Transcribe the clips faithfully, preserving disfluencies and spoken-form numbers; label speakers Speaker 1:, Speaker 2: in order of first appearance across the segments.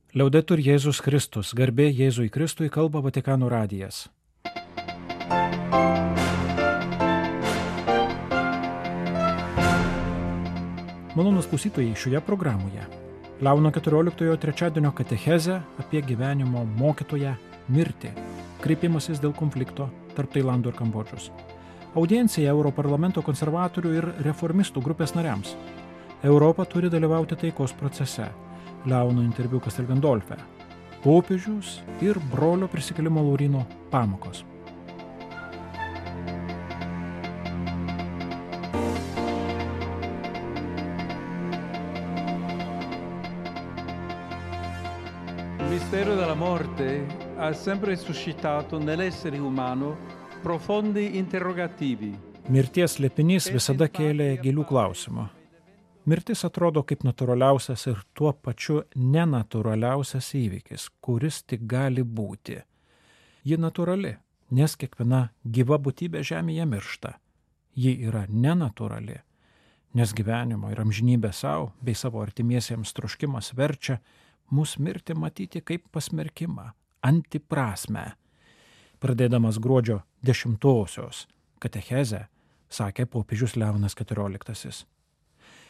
Speaker 1: Liaudetur Jėzus Kristus, garbė Jėzui Kristui, kalba Vatikano radijas. Malonūs klausytojai, šioje programoje Leono keturioliktojo trečiadienio katechezė apie gyvenimo mokytoją mirtį, kreipimasis dėl konflikto tarp Tailando ir Kambodžos. Audiencija Europarlamento konservatorių ir reformistų grupės nariams. Europa turi dalyvauti taikos procese. Leono interviu Castel Gandolfe. Popiežius ir brolio prisikėlimo Lauryno pamokos.
Speaker 2: Il mistero della morte ha sempre suscitato nell'essere umano profondi interrogativi.
Speaker 1: Mirties slėpinys visada kėlė gilių klausimų. Mirtis atrodo kaip natūraliausias ir tuo pačiu nenatūraliausias įvykis, kuris tik gali būti. Ji natūrali, nes kiekviena gyva būtybė žemėje miršta. Ji yra nenatūrali, nes gyvenimo ir amžinybė savo bei savo artimiesiems troškimas verčia mus mirti matyti kaip pasmerkimą, antiprasmę. Pradėdamas gruodžio dešimtosios katechezę, sakė popiežius Leonas keturioliktasis.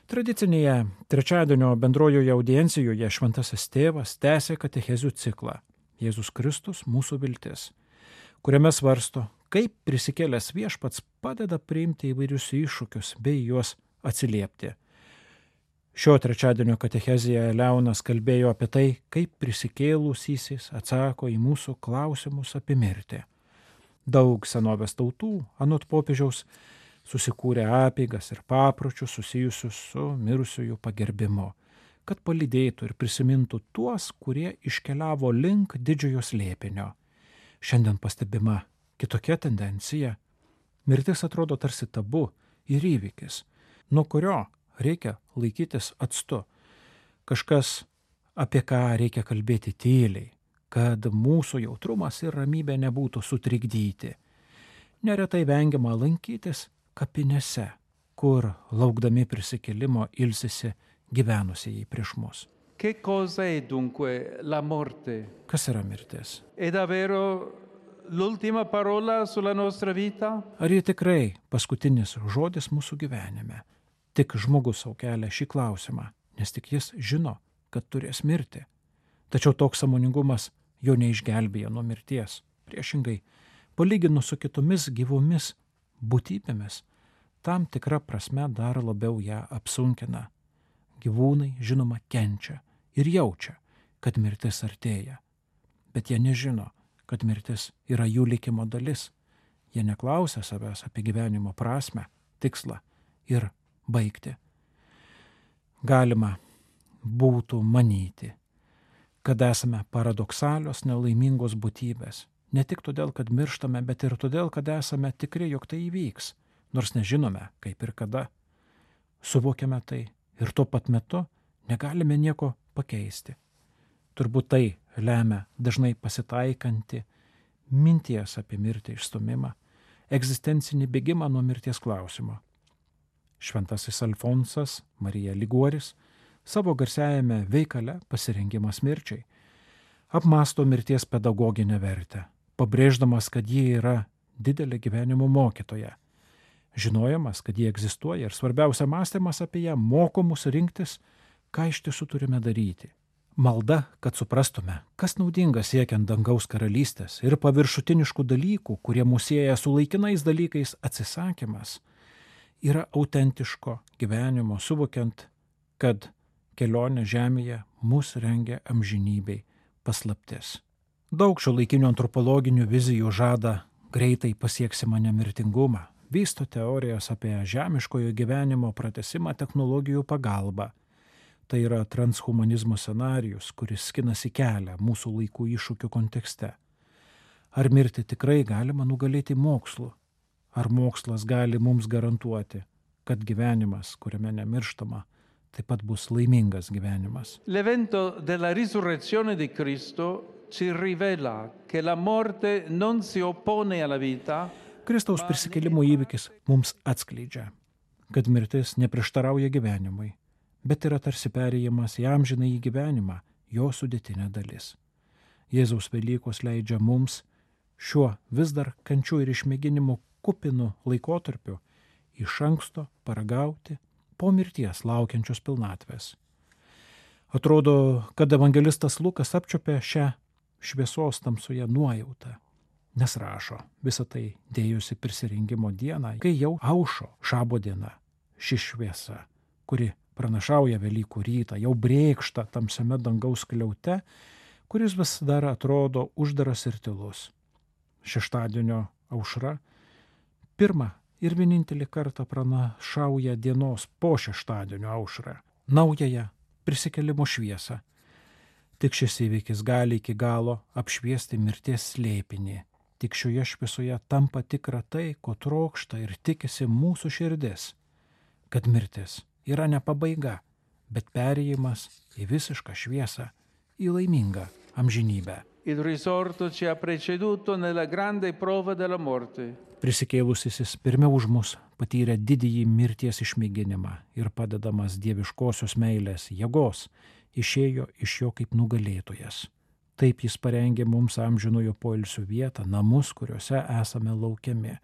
Speaker 1: Tradicinėje trečiadienio bendrojoje audiencijoje šventasis tėvas tęsė katechezių ciklą Jėzus Kristus mūsų viltis, kuriame svarsto, kaip prisikėlęs viešpats padeda priimti įvairius iššūkius bei juos atsiliepti. Šio trečiadienio katechezėje Leonas kalbėjo apie tai, kaip prisikėlusysis atsako į mūsų klausimus apie mirtį. Daug senovės tautų, anot popiežiaus, susikūrė apeigas ir papročius susijusius su mirusiųjų pagerbimu, kad palydėtų ir prisimintų tuos, kurie iškeliavo link didžiojo slėpinio. Šiandien pastebima kitokia tendencija. Mirtis atrodo tarsi tabu ir įvykis, nuo kurio reikia laikytis atstu. Kažkas, apie ką reikia kalbėti tyliai, kad mūsų jautrumas ir ramybė nebūtų sutrikdyti. Neretai vengiama lankytis kapinėse, kur laukdami prisikėlimo ilsisi gyvenusieji prieš mus.
Speaker 2: Che cosa è dunque la morte?
Speaker 1: Kas yra mirtis?
Speaker 2: È davvero l'ultima parola sulla nostra vita?
Speaker 1: Ar ji tikrai paskutinis žodis mūsų gyvenime? Tik žmogus sau kelia šį klausimą, nes tik jis žino, kad turės mirti. Tačiau toks sąmoningumas jo neišgelbėja nuo mirties. Priešingai, palyginus su kitomis gyvomis būtybėmis, tam tikra prasme dar labiau ją apsunkina. Gyvūnai, žinoma, kenčia ir jaučia, kad mirtis artėja. Bet jie nežino, kad mirtis yra jų likimo dalis. Jie neklausia savęs apie gyvenimo prasmę, tikslą ir baigti. Galima būtų manyti, kad esame paradoksalios, nelaimingos būtybės. Ne tik todėl, kad mirštame, bet ir todėl, kad esame tikri, jog tai įvyks, nors nežinome, kaip ir kada. Suvokiame tai ir tuo pat metu negalime nieko pakeisti. Turbūt tai lemia dažnai pasitaikanti minties apie mirtį išstumimą, egzistencinį bėgimą nuo mirties klausimo. Šventasis Alfonsas Marija Liguoris savo garsiajame veikale Pasirengimas mirčiai apmąsto mirties pedagoginę vertę, pabrėždamas, kad ji yra didelė gyvenimo mokytoja. Žinojimas, kad ji egzistuoja ir svarbiausia mąstymas apie ją moko mus rinktis, ką iš tiesų turime daryti. Malda, kad suprastume, kas naudinga siekiant dangaus karalystės ir paviršutiniškų dalykų, kurie mus sieja su laikinais dalykais atsisakymas, yra autentiško gyvenimo suvokiant, kad kelionė žemėje mus rengia amžinybei paslaptis. Daug šio laikinių antropologinių vizijų žada greitai pasieksime nemirtingumą, vysto teorijas apie žemiškojo gyvenimo pratesimą technologijų pagalba. Tai yra transhumanizmo scenarijus, kuris skinasi kelią mūsų laikų iššūkių kontekste. Ar mirti tikrai galima nugalėti mokslu? Ar mokslas gali mums garantuoti, kad gyvenimas, kuriame nemirštama, taip pat bus laimingas gyvenimas?
Speaker 2: L'evento della risurrezione di Cristo ci rivela che la morte non si oppone alla vita.
Speaker 1: Kristaus prisikėlimo įvykis mums atskleidžia, kad mirtis neprieštarauja gyvenimui, bet yra tarsi perėjimas į amžinąjį gyvenimą, jo sudėtinė dalis. Jėzaus Velykos leidžia mums šiuo vis dar kančių ir išmėginimų kupinu laikotarpiu iš anksto paragauti po mirties laukiančios pilnatvės. Atrodo, kad evangelistas Lukas apčiopė šią šviesos tamsoje nuojautą, nes rašo, visą tai dėjosi prisirinkimo dieną, kai jau aušo šabo diena, ši šviesa, kuri pranašauja Velykų rytą, jau brėkšta tamsiame dangaus skliaute, kuris vis dar atrodo uždaras ir tylus. Šeštadienio aušra pirmą ir vienintelį kartą pranašauja dienos po šeštadienio aušrą, naująją prisikėlimo šviesą. Tik šis įvykis gali iki galo apšviesti mirties slėpinį. Tik šioje šviesoje tampa tikra tai, ko trokšta ir tikisi mūsų širdis, kad mirtis yra ne pabaiga, bet perėjimas į visišką šviesą, į laimingą amžinybę.
Speaker 2: Il risorto ci ha preceduto nella grande prova della morte.
Speaker 1: Prisikėlusysis pirmiau už mus patyrė didįjį mirties išmėginimą ir padedamas dieviškosios meilės jėgos išėjo iš jo kaip nugalėtojas. Taip jis parengė mums amžinojo poilsio vietą, namus, kuriuose esame laukiami.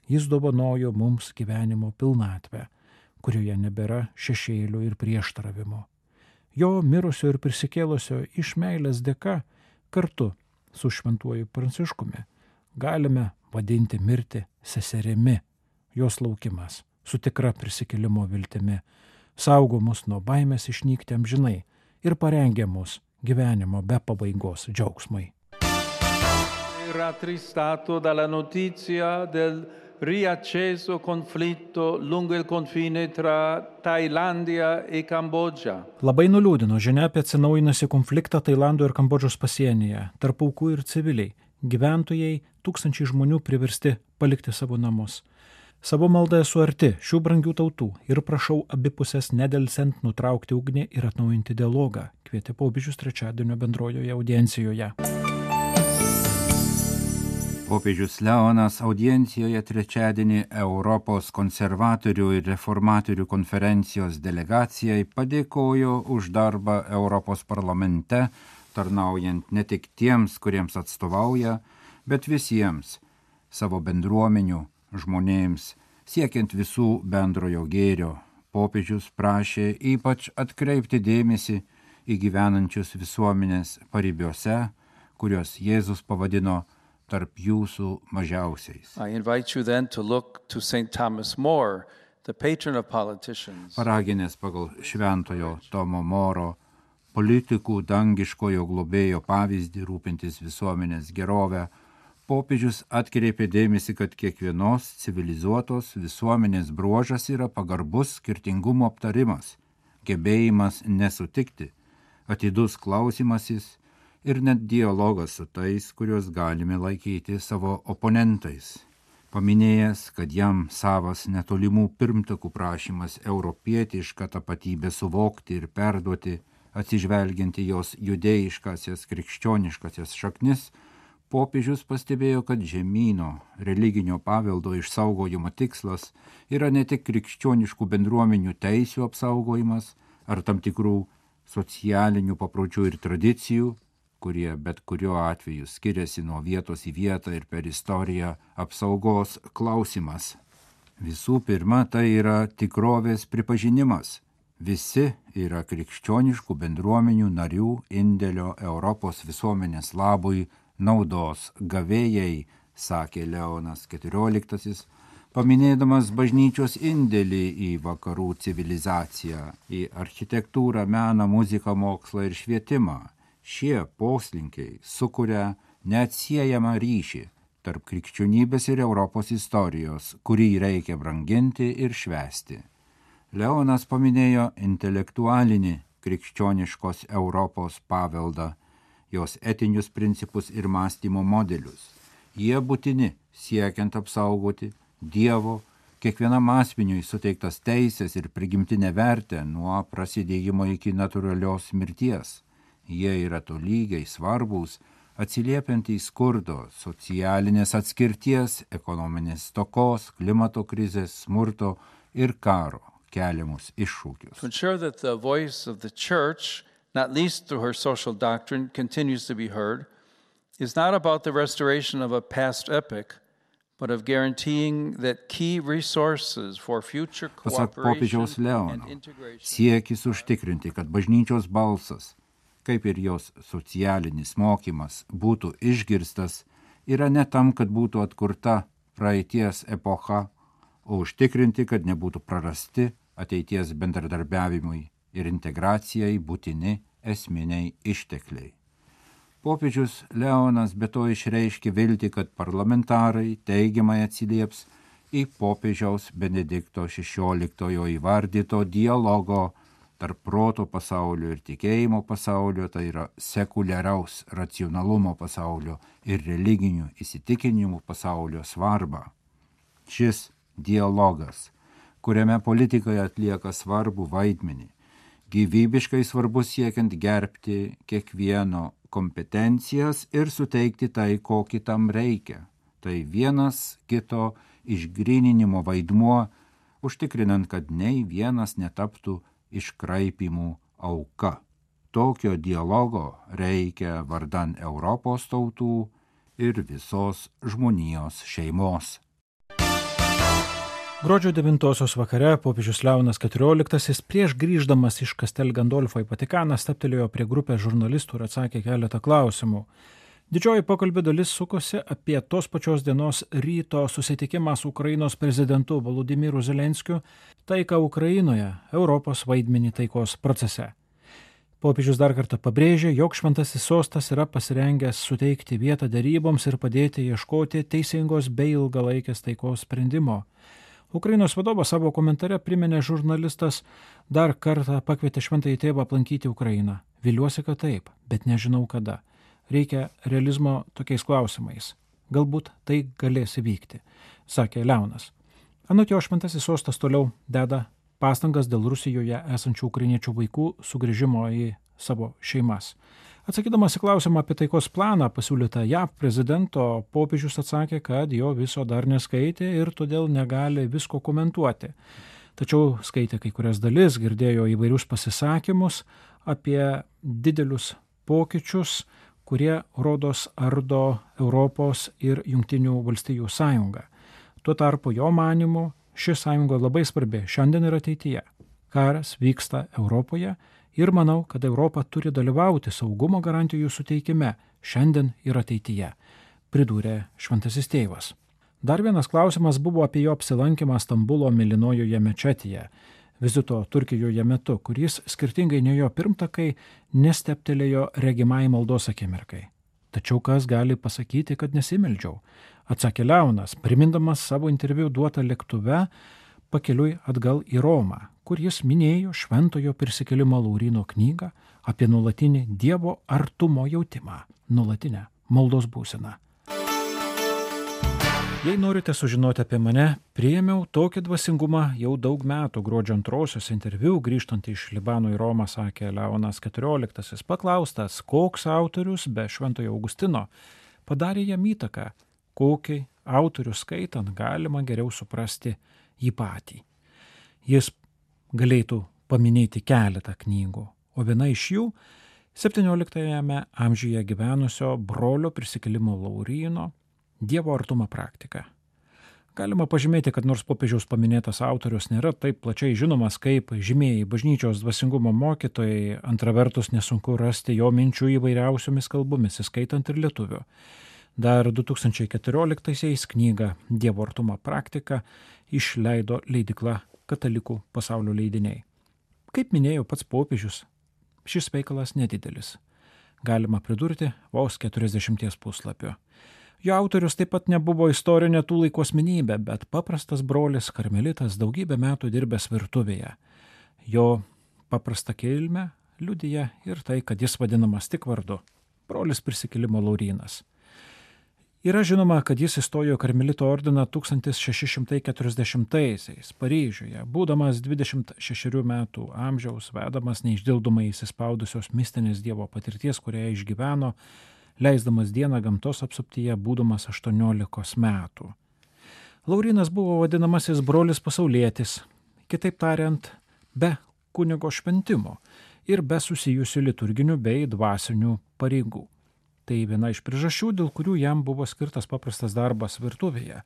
Speaker 1: Jis dovanojo mums gyvenimo pilnatvę, kurioje nebėra šešėlių ir prieštaravimo. Jo mirusio ir prisikėlusio iš meilės dėka kartu su šventuoju Pranciškumi galime vadinti mirtį seserimi, jos laukimas, su tikra prisikėlimo viltimi, saugo mus nuo baimės išnykti amžinai ir parengia mus gyvenimo be pabaigos džiaugsmui.
Speaker 2: Rattristato dalla notizia del riacceso conflitto lungo il confine tra Tailandia e Kambodža.
Speaker 1: Labai nuliūdino žinia apie atsinaujinusį konfliktą Tailando ir Kambodžos pasienyje, tarp aukų ir civiliai. Gyventojai, tūkstančiai žmonių priversti palikti savo namus. Savo maldą esu arti šių brangių tautų ir prašau abipusės nedelsiant nutraukti ugnį ir atnaujinti dialogą, kvietė popiežius trečiadienio bendrojoje audiencijoje.
Speaker 3: Popiežius Leonas audiencijoje trečiadienį Europos konservatorių ir reformatorių konferencijos delegacijai padėkojo už darbą Europos parlamente, tarnaujant ne tik tiems, kuriems atstovauja, bet visiems savo bendruomenių žmonėms, siekiant visų bendrojo gėrio. Popiežius prašė ypač atkreipti dėmesį į gyvenančius visuomenės paribiuose, kuriuos Jėzus pavadino tarp jūsų mažiausiais.
Speaker 2: I invite you then to look to Saint Thomas More, the patron of politicians.
Speaker 3: Paraginęs pagal šventojo Tomo Moro politikų dangiškojo globėjo pavyzdį rūpintis visuomenės gerovę, popiežius atkreipė dėmesį, kad kiekvienos civilizuotos visuomenės bruožas yra pagarbus skirtingumo aptarimas, gebėjimas nesutikti, atidus klausimasis ir net dialogas su tais, kuriuos galime laikyti savo oponentais. Paminėjęs, kad jam savas netolimų pirmtakų prašymas europietišką tapatybę suvokti ir perduoti, atsižvelgiant į jos judėjiškasias krikščioniškasias šaknis, popiežius pastebėjo, kad žemyno religinio paveldo išsaugojimo tikslas yra ne tik krikščioniškų bendruomenių teisių apsaugojimas ar tam tikrų socialinių papročių ir tradicijų, kurie bet kuriuo atveju skiriasi nuo vietos į vietą ir per istoriją apsaugos klausimas. Visų pirma, tai yra tikrovės pripažinimas. Visi yra krikščioniškų bendruomenių narių indėlio Europos visuomenės labui naudos gavėjai, sakė Leonas keturioliktasis, paminėdamas bažnyčios indėlį į vakarų civilizaciją, į architektūrą, meną, muziką, mokslą ir švietimą. Šie poslinkiai sukuria neatsiejamą ryšį tarp krikščionybės ir Europos istorijos, kurį reikia branginti ir švęsti. Leonas paminėjo intelektualinį krikščioniškos Europos paveldą, jos etinius principus ir mąstymo modelius. Jie būtini siekiant apsaugoti Dievo kiekvienam asmeniui suteiktas teisės ir prigimtinę vertę nuo prasidėjimo iki natūralios mirties. Jie yra tolygiai svarbūs, atsiliepiant į skurdo, socialinės atskirties, ekonominės stokos, klimato krizės, smurto ir karo keliamus iššūkius.
Speaker 2: To ensure that the voice of the church not least through her social doctrine, continues to be heard, is not about the restoration of a past epoch, but of guaranteeing that key resources for future
Speaker 3: Pasak
Speaker 2: cooperation
Speaker 3: popiežiaus
Speaker 2: and
Speaker 3: Leono,
Speaker 2: integration.
Speaker 3: siekis užtikrinti, kad bažnyčios balsas, kaip ir jos socialinis mokymas, būtų išgirstas, yra ne tam, kad būtų atkurta praeities epocha, o užtikrinti, kad nebūtų prarasti ateities bendradarbiavimui ir integracijai būtini esminiai ištekliai. Popiežius Leonas be to išreiškė viltį, kad parlamentarai teigiamai atsilieps į popiežiaus Benedikto šešioliktojo įvardyto dialogo tarp proto pasaulio ir tikėjimo pasaulio, tai yra sekuliaraus racionalumo pasaulio ir religinių įsitikinimų pasaulio svarbą. Šis dialogas, kuriame politikai atlieka svarbų vaidmenį, gyvybiškai svarbus siekiant gerbti kiekvieno kompetencijas ir suteikti tai, ko kitam reikia. Tai vienas kito išgryninimo vaidmuo, užtikrinant, kad nei vienas netaptų iškraipimų auka. Tokio dialogo reikia vardan Europos tautų ir visos žmonijos šeimos.
Speaker 1: Gruodžio devintosios vakare popiežius Leonas keturioliktasis prieš grįždamas iš Castel Gandolfo į Vatikaną steptelėjo prie grupės žurnalistų ir atsakė keletą klausimų. Didžioji pokalbio dalis sukosi apie tos pačios dienos ryto susitikimą su Ukrainos prezidentu Volodymyru Zelenskiu, taiką Ukrainoje, Europos vaidmenį taikos procese. Popiežius dar kartą pabrėžė, jog šventasis sostas yra pasirengęs suteikti vietą deryboms ir padėti ieškoti teisingos bei ilgalaikės taikos sprendimo. Ukrainos vadovas savo komentare priminė žurnalistas dar kartą pakvietė šventąjį tėvą aplankyti Ukrainą. Viliuosi, kad taip, bet nežinau kada. Reikia realizmo tokiais klausimais. Galbūt tai galės įvykti, sakė Leonas. Anot jo, šventasis sostas toliau deda pastangas dėl Rusijoje esančių ukrainiečių vaikų sugrįžimo į savo šeimas. Atsakydamas į klausimą apie taikos planą pasiūlytą J A V prezidento, popiežius atsakė, kad jo viso dar neskaitė ir todėl negali visko komentuoti. Tačiau skaitė kai kurias dalis, girdėjo įvairius pasisakymus apie didelius pokyčius, kurie rodos ardo Europos ir Jungtinių valstijų sąjungą. Tuo tarpu jo manymu ši sąjunga labai svarbi šiandien ir ateityje. Karas vyksta Europoje ir manau, kad Europa turi dalyvauti saugumo garantijų suteikime šiandien ir ateityje, pridūrė šventasis tėvas. Dar vienas klausimas buvo apie jo apsilankymą Stambulo Mėlynojoje mečetėje, vizito Turkijoje metu, kuris skirtingai nei jo pirmtakai nesteptelėjo regimai maldos akimirkai. Tačiau kas gali pasakyti, kad nesimeldžiau, atsakė Leonas, primindamas savo interviu duotą lėktuve pakeliui atgal į Romą, kur jis minėjo Šventojo prisikėlimo Lauryno knygą apie nuolatinį Dievo artumo jautimą, nuolatinę maldos būseną. Jei norite sužinoti apie mane, priėmiau tokį dvasingumą jau daug metų. Gruodžio antrosios interviu, grįžtant iš Libano į Romą, sakė Leonas keturioliktasis, paklaustas, koks autorius be Šventojo Augustino padarė jam įtaką, kokį autorių skaitant galima geriau suprasti jį patį. Jis galėtų paminėti keletą knygų, o viena iš jų septynioliktajame amžiuje gyvenusio brolio prisikėlimo Lauryno Dievo artumo praktika. Galima pažymėti, kad nors popiežiaus paminėtas autorius nėra taip plačiai žinomas kaip žymieji bažnyčios dvasingumo mokytojai, antra vertus nesunku rasti jo minčių įvairiausiomis kalbomis, įskaitant ir lietuvių. Dar du tūkstančiai keturioliktaisiais knygą Dievo artumo praktika išleido leidykla Katalikų pasaulio leidiniai. Kaip minėjo pats popiežius, šis veikalas nedidelis. Galima pridurti vos keturiasdešimties puslapių. Jo autorius taip pat nebuvo istorinė tų laikų asmenybė, bet paprastas brolis karmelitas daugybę metų dirbęs virtuvėje. Jo paprastą kilmę liudija ir tai, kad jis vadinamas tik vardu – brolis prisikėlimo Laurynas. Yra žinoma, kad jis įstojo karmelito ordiną tūkstantis šeši šimtai keturiasdešimtaisiais Paryžiuje, būdamas dvidešimt šešerių metų amžiaus, vedamas neišdildomai įsispaudusios mistinės Dievo patirties, kurią išgyveno, leisdamas dieną gamtos apsuptyje, būdamas aštuoniolikos metų. Laurynas buvo vadinamasis brolis pasaulietis, kitaip tariant, be kunigo šventimo. ir be susijusių liturginių bei dvasinių pareigų. Tai viena iš priežasčių, dėl kurių jam buvo skirtas paprastas darbas virtuvėje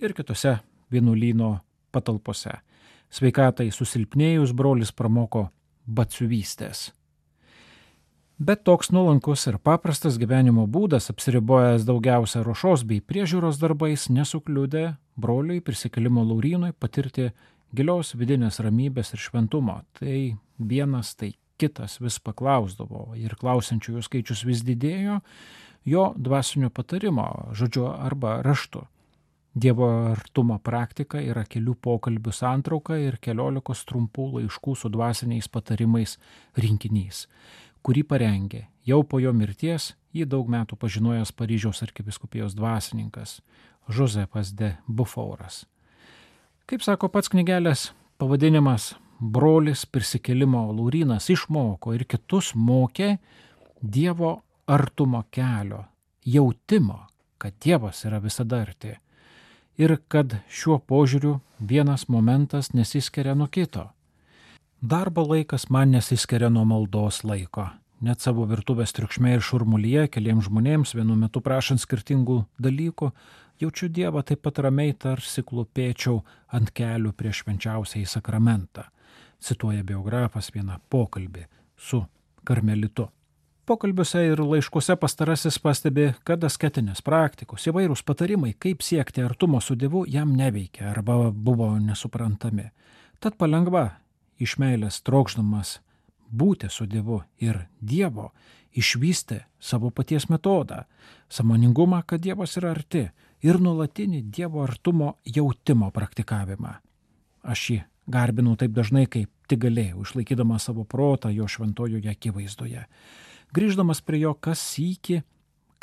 Speaker 1: ir kitose vienuolyno patalpose. Sveikatai susilpnėjus brolis pramoko batsiuvystės. Bet toks nuolankus ir paprastas gyvenimo būdas, apsiribojęs daugiausia ruošos bei priežiūros darbais, nesukliudė broliui Prisikėlimo Laurynui patirti gilios vidinės ramybės ir šventumo. Tai vienas, tai kitas vis paklausdavo ir klausiančiųjų skaičius vis didėjo jo dvasinio patarimo, žodžiu arba raštu. Dievo artumo praktika yra kelių pokalbių santrauka ir keliolikos trumpų laiškų su dvasiniais patarimais rinkinys, kurį parengė jau po jo mirties jį daug metų pažinojęs Paryžiaus arkivyskupijos dvasininkas Josephas de Beaufortas. Kaip sako pats knygelės pavadinimas, brolis Prisikėlimo Laurynas išmoko ir kitus mokė Dievo artumo kelio, jautimo, kad Dievas yra visada arti ir kad šiuo požiūriu vienas momentas nesiskiria nuo kito. Darbo laikas man nesiskiria nuo maldos laiko. Net savo virtuvės triukšme ir šurmulyje keliems žmonėms vienu metu prašant skirtingų dalykų, jaučiu Dievą taip pat ramiai, tarsi klūpėčiau ant kelių prieš švenčiausiąjį sakramentą. Cituoja biografas vieną pokalbį su karmelitu. Pokalbiuose ir laiškuose pastarasis pastebi, kad asketinės praktikos, įvairūs patarimai, kaip siekti artumo su Dievu, jam neveikia arba buvo nesuprantami. Tad palengva, iš meilės trokšdamas būti su Dievu ir Dievo, išvystė savo paties metodą, sąmoningumą, kad Dievas yra arti ir nuolatinį Dievo artumo jautimo praktikavimą. Aš jį garbinau taip dažnai, kaip tik galėjau, išlaikydamas savo protą jo šventojoje akivaizdoje. Grįždamas prie jo kas sykį,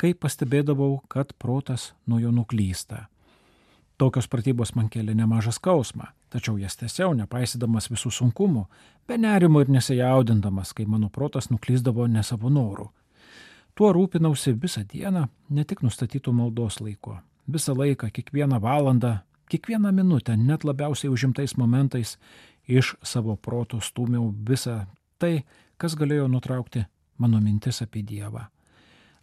Speaker 1: kai pastebėdavau, kad protas nuo jo nuklysta. Tokios pratybos man kėlė nemažą skausmą, tačiau jas tęsiau, nepaisydamas visų sunkumų, be nerimo ir nesijaudindamas, kai mano protas nuklysdavo ne savo norų. Tuo rūpinausi visą dieną, ne tik nustatytų maldos laiko. Visą laiką, kiekvieną valandą, kiekvieną minutę, net labiausiai užimtais momentais iš savo proto stūmiau visą tai, kas galėjo nutraukti mano mintis apie Dievą.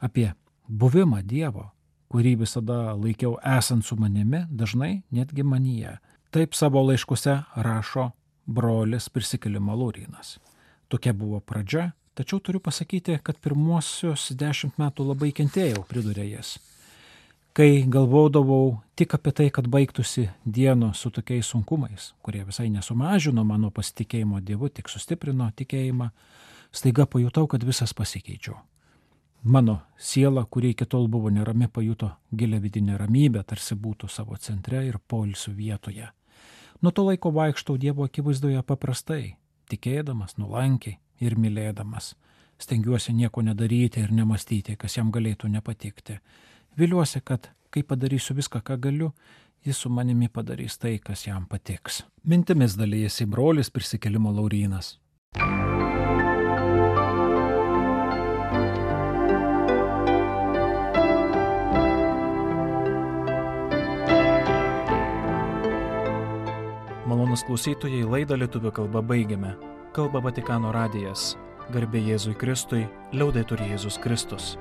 Speaker 1: Apie buvimą Dievo, kurį visada laikiau esant su manimi, dažnai netgi manyje. Taip savo laiškuose rašo brolis Prisikėlimo Laurynas. Tokia buvo pradžia, tačiau turiu pasakyti, kad pirmuosius dešimt metų labai kentėjau, pridūrė jis. Kai galvodavau tik apie tai, kad baigtųsi dienos su tokiais sunkumais, kurie visai nesumažino mano pasitikėjimo Dievu, tik sustiprino tikėjimą, staiga pajutau, kad visas pasikeičiau. Mano siela, kuri iki tol buvo nerami, pajuto gilią vidinę ramybę, tarsi būtų savo centre ir poilsių vietoje. Nuo to laiko vaikštau Dievo akivaizdoje paprastai, tikėdamas, nuolankiai ir mylėdamas. Stengiuosi nieko nedaryti ir nemastyti, kas jam galėtų nepatikti. Viliuosi, kad kai padarysiu viską, ką galiu, jis su manimi padarys tai, kas jam patiks. Mintimis dalyjasi brolis Prisikėlimo Laurynas.
Speaker 4: Malonus klausytojai, laidą lietuvių kalba baigiame. Kalba Vatikano radijas. Garbė Jėzui Kristui, liaudetur Jėzus Kristus.